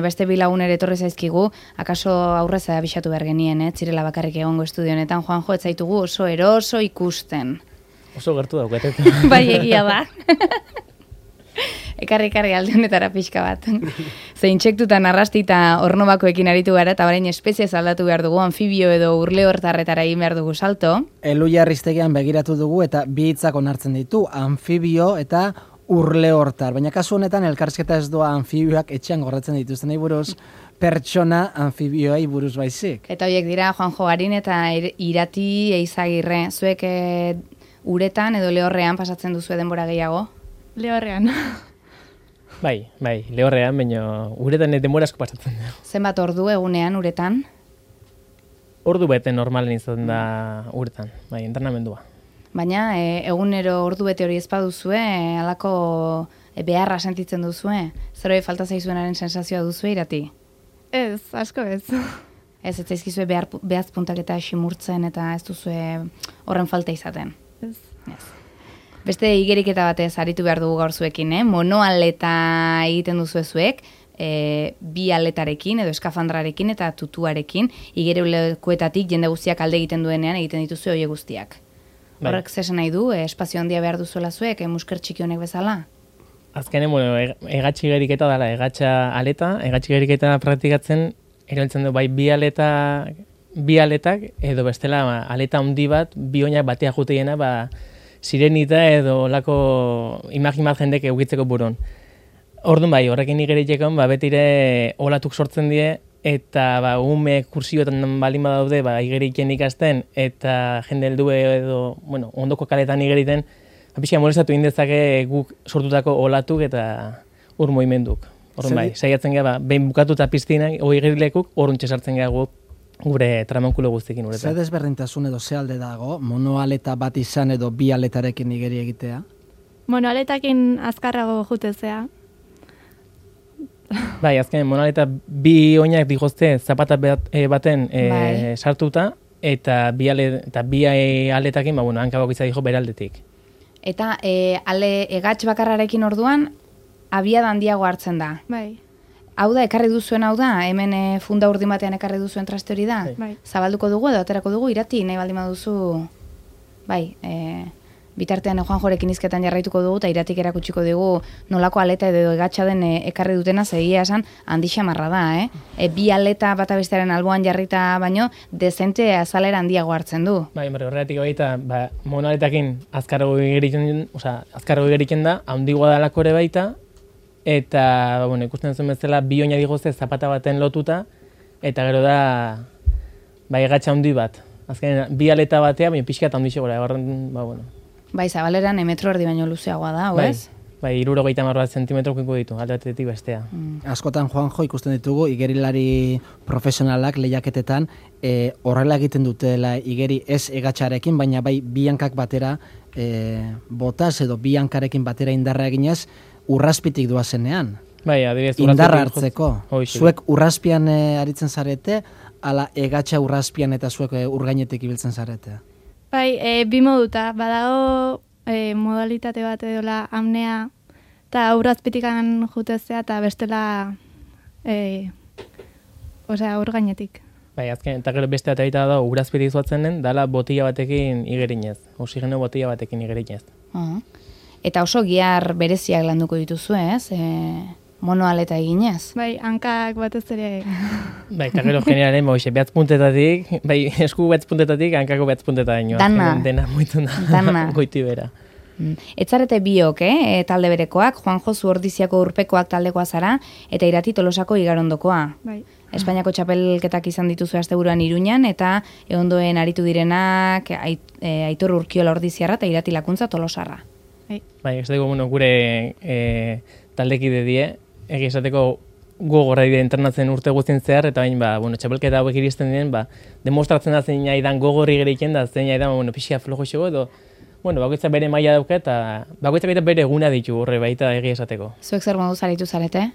Beste bi lagun ere etorri zaizkigu, akaso aurrez abisatu behar genien, zirela bakarrik egongo estudio honetan, Juanjo, ez zaitugu oso eroso ikusten. Oso gertu daukatet. Bai, egia da. Ekarri alde honetara pixka bat. Zein txektutan arrastita ornobakoekin aritu gara, eta orain espeziez aldatu behar dugu, anfibio edo urleortarretara egin behar dugu salto. Elujarriztegian begiratu dugu eta bi hitzak onartzen ditu, anfibio eta urleortar. Baina kasu honetan elkarrizketa ez doa anfibioak etxean gordetzen dituzten buruz, pertsona anfibioei buruz baizik. Eta horiek dira Juanjo Garin eta Irati Eizagirre. Zuek uretan edo lehorrean pasatzen duzu denbora gehiago? Lehorrean. Bai, lehorrean, baina uretan denbora asko pasatzen da. Zenbat ordu egunean uretan? Ordu bete normalen izan da uretan, bai, entrenamendua. Baina egunero ordu bete hori ezpaduzue, halako beharra sentitzen duzue? Zeroi falta zaizuenaren sensazioa duzue, Irati? Ez, asko ez. Ez zaizkizue behaz puntak eta simurtzen eta ez duzue horren falta izaten? Ez. Beste igeriketa batez aritu behar dugu gaur zuekin, monoaleta egiten duzu zuek, bi aletarekin edo eskafandrarekin eta tutuarekin, igereulekuetatik jende guztiak alde egiten duenean egiten dituzu horiek guztiak. Horrek zesan nahi du, espazio handia behar duzuela zuek, musker txiki honek bezala? Azkenen, egatxi geriketa dela, egatxa aleta, egatxi geriketa praktikatzen, erabiltzen du bai bi aletak, edo bestela aleta handi bat, bi oinak batea juteiena, sirenita edo lako imagin bat jendek eukitzeko buron. Orduan bai, horrekin igeritxekon, betire olatuk sortzen die, eta ume kursioetan baldin badaude, igeriken ikasten, eta jende heldu edo, ondoko kaletan igeriten, pixka molestatu indezake guk sortutako olatuk eta ur moimenduk. Orduan bai, saiatzen gara, behin bukatuta piztinak, igerilekuk, orruntxe sartzen gara guk, gure tramankulo guztikin uretan. Zer desberdintasun edo ze alde dago, monoaleta bat izan edo bi aletarekin igeri egitea? Monoaletakin azkarrago jutezea. Bai, azken monoaleta bi oinak digozte zapata baten sartuta, eta bi aletakin, hankabok izan dijo beraldetik. Eta egatx bakarrarekin orduan, abiada handiago hartzen da. Bai. Hau da, ekarri duzuen hau da, hemen funda urdin batean ekarri duzuen traste hori da? Bai. Zabalduko dugu edo aterako dugu, Irati, nahi baldin baduzu, bai, bitartean Juanjorekin izketan jarraituko dugu, eta Iratik erakutsiko dugu nolako aleta edo egatxa den ekarri dutena, zegia esan handi xamarra da, bi aleta bata bestearen alboan jarrita baino, dezente azalera handiago hartzen du. Bai, horregatik baita, monoaletakin azkarrago igeriken da, handigoa dalako ere baita, eta ikusten zuen bezala bi oina digozte zapata baten lotuta, eta gero da egatxa handi bat. Azkenean, bi aleta batea, baina pixka eta handi segura. Bai, zabaleran metro erdi baino luzeagoa da, oez? Bai, 70 zentimetrokiko ditu, alde batetik bestea. Askotan, Juanjo, ikusten ditugu, igerilari profesionalak lehiaketetan, horrela egiten dutela igeri ez egatxarekin, baina bai bi hankak batera botaz edo bi hankarekin batera indarra eginez, urraspitik doazenean. Bai, adibidez, indarra hartzeko. Zuek urraspian aritzen zarete, ala egatxa urraspian eta zuek urgainetik ibiltzen zarete? Bai, bi moduta, badago modalitate bat edola amnea, eta urrazpitikan jutezea, eta bestela urgainetik. Bai, azken, eta gero beste eta da, urazpitik zuatzen den, dala botila batekin igerinez, oxigeno botila batekin igerinez. Eta oso gihar bereziak landuko dituzu, ez? Monoaleta eginez. Bai, hankak batez ere. Bai, eta gero generalen, behatz puntetatik, esku behatz puntetatik, hankako behatz puntetatik. Dana. Dena moitu da, goiti bera. Etzarete biok, talde berekoak, Juanjo Zuordiziako urpekoak taldekoa zara, eta Irati Tolosako igarondokoa. Bai. Espainiako txapelketak izan dituzu asteburuan Iruñan, eta ondoen aritu direnak Aitor Urkiola Ordiziarra eta Irati Lakuntza Tolosarra. Bai, ez dugu, gure taldekide die, esateko gogorra dire entrenatzen urte guztien zehar, eta bain, txapelketa hauek iristen diren, demostratzen da zein aidan gogorri geriken da, zein aidan, pixia flojo xego, edo, bakoitza bere maila dauka, eta bakoitzak eta bere eguna ditu horre baita egia esateko. Zuek zer modu zaritu zarete?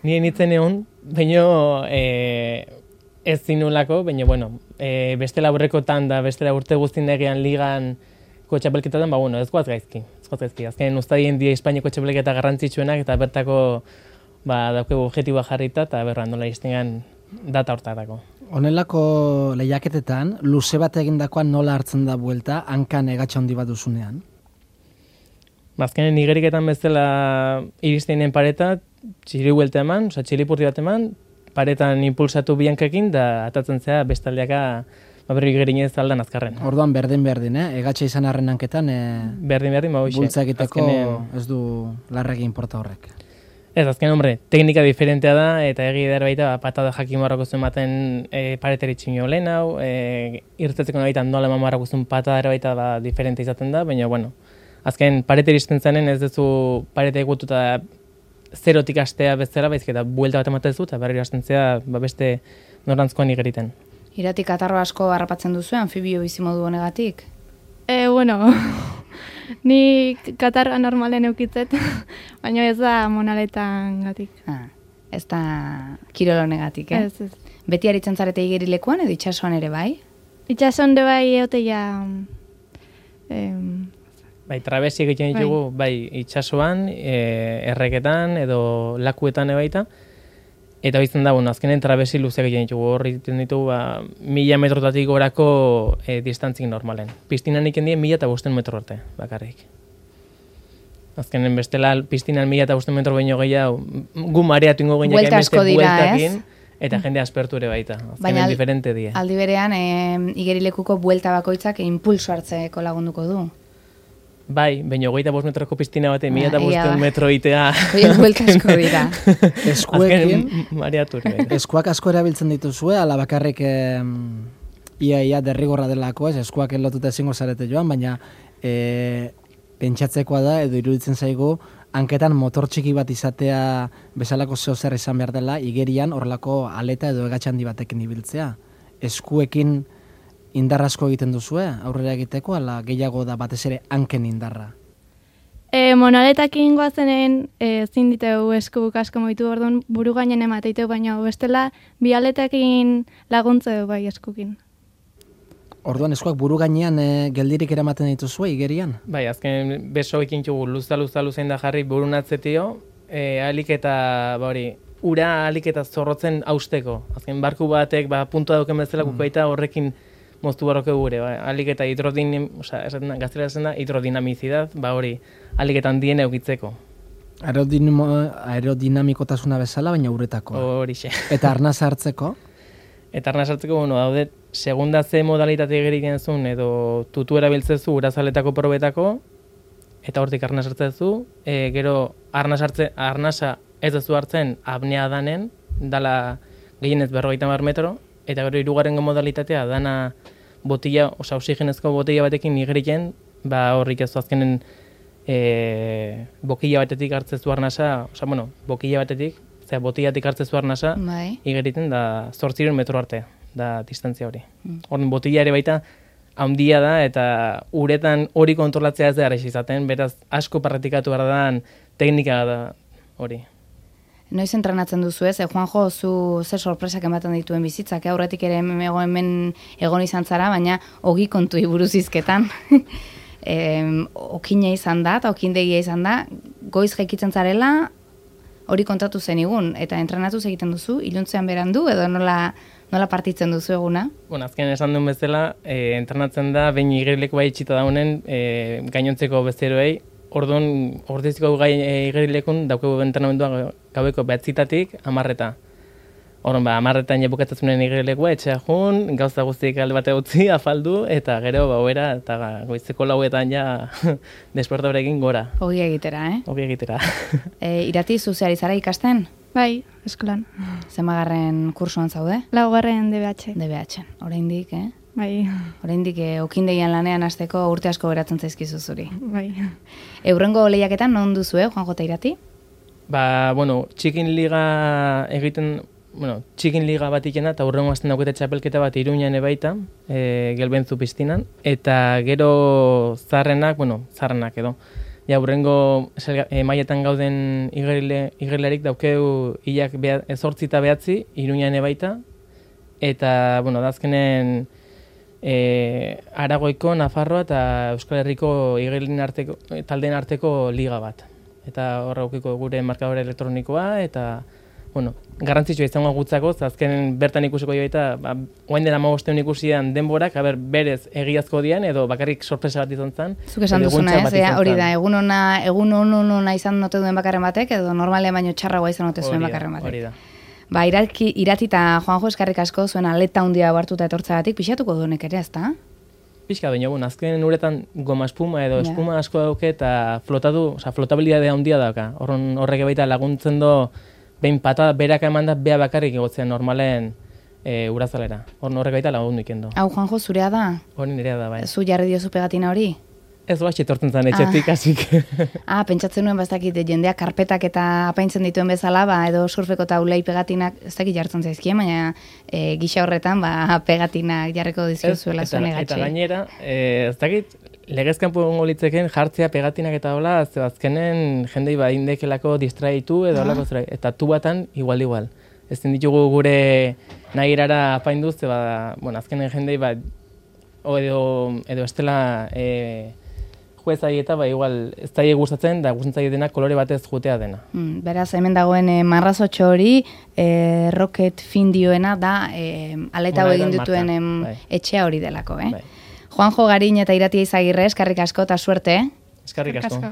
Nire nintzen egon, baina ez zinulako, baina, bestela aurrekotan da, bestela urte guztien egean ligan txapelketatan, ez goaz gaizki. Azken ustadien die Espainiako txapelketa garrantzitsuenak eta bertako daukegu objektiboa jarrita, eta berra nola iztengan data hortarako. Honelako lehiaketetan, luze bat egindakoan nola hartzen da buelta, hankan egatxa handi bat duzunean? Azkenen igeriketan bezala iristenen pareta, txiri buelta eman, txilipurti bat eman, paretan impulsatu biankekin, da atatzen zea bestaldeaka berri igerinez aldan azkarren. Orduan berdin, egatxa izan arren hanketan, Berdin, bultza egiteko ez du larregi inporta horrek. Ez, azken, hombre, teknika diferentea da, eta egi edar baita, patada jakin marrako zuen baten pareteri txinio lehen hau, irtetzeko baita nola eman marrako zuen patada baita diferente izaten da, baina, bueno, azken, pareteri izten zanen ez duzu parete egututa zerotik astea bezala, baizik eta buelta bat ematen zu, eta berri hasten zea beste norantzkoan igeriten. Iratik katarro asko harrapatzen duzu, anfibio bizimodu honegatik? Bueno, ni katarra normalen eukitzet, baina ez da monaletan gatik. Ez da kirolo honegatik, eh? Ez. Beti aritzen zarete igerilekuan edo itsasoan ere bai? Itxason de bai eoteia... Bai, trabesi egiten ditugu, bai, itsasoan, erreketan edo lakuetan ebaita, eta bizten da, bueno, azkenen trabesi luzeak egiten ditugu, horri egiten ditugu, 1000 metrotatik gorako distantzik normalen. Piztinan iken dien 1500 metro arte, bakarrik. Azkenen bestela, piztinan 1500 metro baino gehiago, gu mareatu ingo gehiago buelta asko dira, bueltakin, eta jende aspertu ere baita. Azkenen diferente die. Aldi berean, igerilekuko buelta bakoitzak impulso hartzeko lagunduko du. Bai, baina 25 metroko piztina bate, 1500 metro itea. Hoiek buelta asko dira. Eskuekin, mareatu ere. eskuak asko erabiltzen dituzue, ala bakarrik ia derrigorra delako, ez, eskuak lotuta ezingo zarete joan, baina pentsatzekoa da, edo iruditzen zaigu, hanketan motor txiki bat izatea bezalako zehozer izan behar dela, igerian horrelako aleta edo egatxandi batekin ibiltzea. Eskuekin indar asko egiten duzue, aurrera egiteko, ala gehiago da batez ere hanken indarra? Monaletakin goazenen zin diteu eskubuk asko moitu orduan buru gainen emateiteu, baina bestela bi aletakin laguntzeu bai eskukin. Orduan eskuak buru gainean geldirik eramaten dituzue igerian? Bai, azken beso ekin txugu luza-luzein da jarri burun atzetio, alik eta, ura alik eta zorrotzen hausteko. Azken barku batek, puntua dauken bezala baita horrekin moztu barroke gure, alik eta gaztela esan da, hidrodinamizidad, alik eta handien eukitzeko. Aerodinamikotasuna bezala, baina uretako. Horixe. Eta arnaz hartzeko? Eta arnaz hartzeko, daude, segunda ze modalitate egeriken zuen, edo tutu erabiltzezu urazaletako probetako, eta hortik arnaz hartzezu, gero arnasa ez duzu hartzen apnea danen, dala gehienez 50 metro, eta gero hirugarrengo modalitatea dana botila, oxigenezko botila batekin igeriken, horrik ez azkenen bokila batetik hartzezu arnasa, bokila batetik, botilatik hartzezu arnasa, igeriten da 800 metro arte, da distantzia hori. Horren botila ere baita handia da, eta uretan hori kontrolatzea ez da errez izaten, beraz asko parretikatu behar da teknika da hori. Noiz entrenatzen duzu ez, Juanjo, zu zer sorpresak ematen dituen bizitzak, aurretik ere hemen egon izan zara, baina ogi kontui buruz izketan. Okina izan da, eta okindegia izan da, goiz jaikitzen zarela, hori kontatu zenigun, eta entrenatuz egiten duzu, iluntzean berandu, edo nola partitzen duzu eguna? Azken esan duen bezala, entrenatzen da, behin igerileko bai itxita daunen, gainontzeko bezeroei, orduan, ordeziko igerilekun daukegu entrenamendua gaueko 9-tatik 10. Orduan, 10 bukatzen igerilekua, etxea jun, gauza guztiak alde bate utzi, afaldu, eta gero bauera, eta goizeko 4etan ja despertaberekin gora. Ogi egitera, Ogi egitera. Irati, zuzeari zara ikasten? Bai, eskolan. Zemagarren kursoan zaude? 4. DBH. DBH, oraindik, Bai. Oraindik okindegian lanean hasteko urte asko beratzen zaizkizu zuri. Bai. Eurrengo lehiaketan non duzu, Juanjo eta Irati? Txikin liga egiten, txikin liga bat ikena, eta urrengo azten daukete txapelketa bat Iruñan ebaita, Gelbenzu piztinan, eta gero zarrenak edo. Ja, urrengo mailetan gauden igerilarik daukeu hilak 8 eta 9 Iruñan ebaita, eta, dazkenen Aragoiko, Nafarroa eta Euskal Herriko taldeen arteko liga bat. eta horra ukiko gure markadore elektronikoa, eta, bueno, garrantzitsua izango gutzako, azkenen bertan ikusiko joita, oain dela 15 ikusian denborak, berez egiazko dian, edo bakarrik sorpresa bat izan zen. Zuk esan duzuna, hori da, egun ona izan note duen bakarren batek, edo normalean baino txarragoa izan note zuen bakarren batek. Hori da. Ba, iratita Juanjo eskarrik asko zuen aleta handia hartuta etortzagatik, pixatuko duenek ere, ezta? Pixka baina, azken uretan goma espuma edo espuma asko dauke eta flotabilidadea handia dauka. Horrek baita laguntzen do, behin patada beraka eman da, bea bakarrik egotzen normalen urazalera. Horrek baita lagundu ikendo. Hau, Juanjo, zurea da? Hori nirea da, bai. Zu jarri diozu pegatina hori? Ez batxe etortzen zen etxetik, hasik. Pentsatzen nuen bastakit jendeak karpetak eta apaintzen dituen bezala, edo surfeko taulei pegatinak ez dakit jartzen zaizkien, baina gisa horretan pegatinak jarriko dizkizuela zuen egatxe. Eta gainera, ez dakit, legezkanpo egongo litzeken jartzea pegatinak eta hola, azkenen jendei indekelako distraitu edo holako eta tubatan igual. Ez ditugu gure nahi erara apainduz, azkenen jendei edo estela juezai eta igual ez daie gustatzen, da gustatzen dena kolore batez jutea dena. Beraz, hemen dagoen marrazotxo hori, rocket findioena da aleta hau egin dituen etxea hori delako. Juanjo Garin eta Iratia Izagirre, eskarrik asko eta suerte. Eskarrik asko.